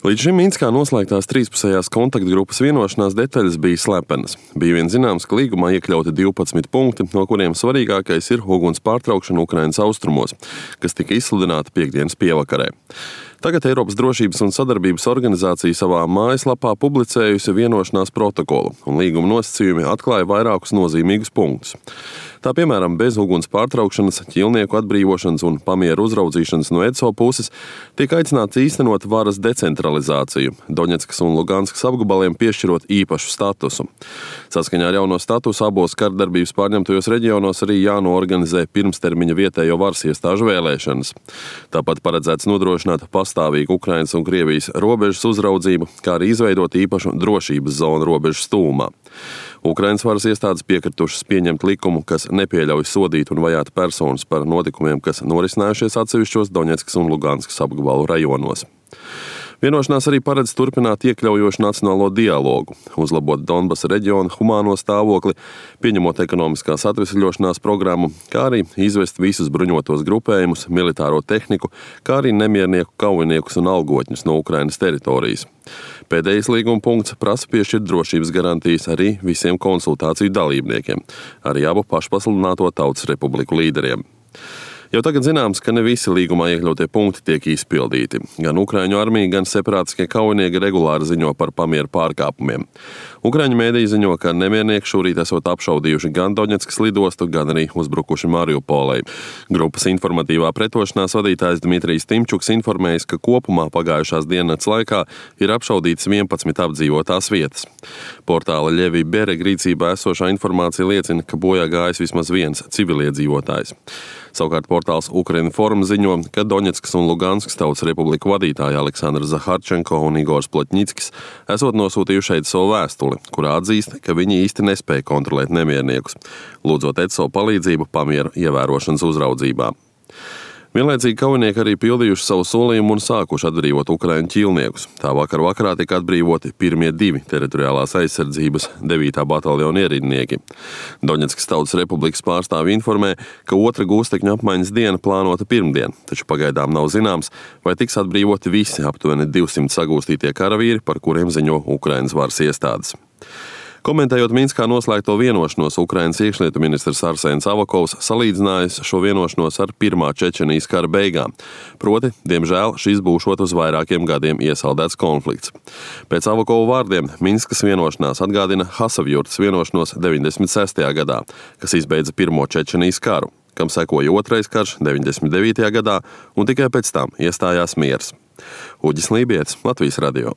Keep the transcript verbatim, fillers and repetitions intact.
Līdz šim Minskā noslēgtās trīspusējās kontaktgrupas vienošanās detaļas bija slepenas. Bija vien zināms, ka līgumā iekļauti divpadsmit punkti, no kuriem svarīgākais ir uguns pārtraukšana Ukrainas austrumos, kas tika izsludināta piektdienas pievakarē. Tagad Eiropas drošības un sadarbības organizācija savā mājaslapā publicējusi vienošanās protokolu, un līguma nosacījumi atklāja vairākus nozīmīgus punktus. Tā piemēram, bez uguns pārtraukšanas, ķilnieku atbrīvošanas un pamieru uzraudzīšanas no E D S O puses tiek aicināts īstenot varas decentralizāciju, Doņetskas un Luganskas apgabaliem piešķirot īpašu statusu. Saskaņā ar jauno statusu abos kardarbības pārņemtajos reģionos arī jānoorganizē pirmstermiņa vietējo varas iestāžu vēlēšanas. Tāpat paredzēts nodrošināt pastāvīgu Ukrainas un Krievijas robežas uzraudzību, kā arī izveidot īpašu drošības zonu robežas tūmā. Ukrainas varas iestādes piekritušas pieņemt likumu, kas nepieļauj sodīt un vajāt personas par notikumiem, kas norisinājušies atsevišķos Doņetskas un Luganskas apgabalu rajonos. Vienošanās arī paredz turpināt iekļaujošu nacionālo dialogu, uzlabot Donbasa reģiona humāno stāvokli, pieņemot ekonomiskās atvesļošanās programmu, kā arī izvest visus bruņotos grupējumus, militāro tehniku, kā arī nemiernieku kaujiniekus un algotņus no Ukrainas teritorijas. Pēdējais līguma punkts prasa piešķirt drošības garantijas arī visiem konsultāciju dalībniekiem, arī abu pašpasludināto Tautas Republiku līderiem. Jau tagad zināms, ka ne visi līgumā iekļautie punkti tiek izpildīti. Gan Ukraiņu armija, gan separātiskie kaujinieki regulāri ziņo par pamieru pārkāpumiem. Ukraiņu mēdīji ziņo, ka nemiernieki šorīt esot apšaudījuši gan Doņetskas lidostu, gan arī uzbrukuši Mariupolei. Grupas informatīvā pretošanās vadītājs Dmitrijs Timčuks informējis, ka kopumā pagājušās diennakts laikā ir apšaudītas vienpadsmit apdzīvotās vietas. Portāla Ļevī Bereg rīcībā esošā informācija liecina, ka bojā gājis vismaz viens civiliedzīvotājs. Savukārt portāls Ukrinform ziņo, ka Doņetskas un Luganskas Tautas Republiku vadītāji Aleksandrs Zaharčenko un Igors Plotņickis esot nosūtījuši E D S O vēstuli, kurā atzīst, ka viņi īsti nespēja kontrolēt nemierniekus, lūdzot E D S O palīdzību pamieru ievērošanas uzraudzībā. Vienlaicīgi kaujinieki arī pildījuši savu solījumu un sākuši atbrīvot Ukraiņu ķilniekus. Tā vakar vakarā tika atbrīvoti pirmie divi teritoriālās aizsardzības devītā bataljona ierindnieki. Doņetskas Tautas Republikas pārstāvi informē, ka otra gūstekņu apmaiņas diena plānota pirmdien, taču pagaidām nav zināms, vai tiks atbrīvoti visi aptuveni divsimt sagūstītie karavīri, par kuriem ziņo Ukrainas varas iestādes. Komentējot Minskā noslēgto vienošanos, Ukrainas iekšlietu ministrs Arsēns Avakovs salīdzinājis šo vienošanos ar pirmā Čečenijas kara beigām. Proti, diemžēl, šis būšot uz vairākiem gadiem iesaldēts konflikts. Pēc Avakova vārdiem Minskas vienošanās atgādina Hasavjurtas vienošanos deviņdesmit sestajā gadā, kas izbeidza pirmo Čečenijas karu, kam sekoja otrais karš deviņdesmit devītajā gadā un tikai pēc tam iestājās miers. Uģis Lībietis, Latvijas radio.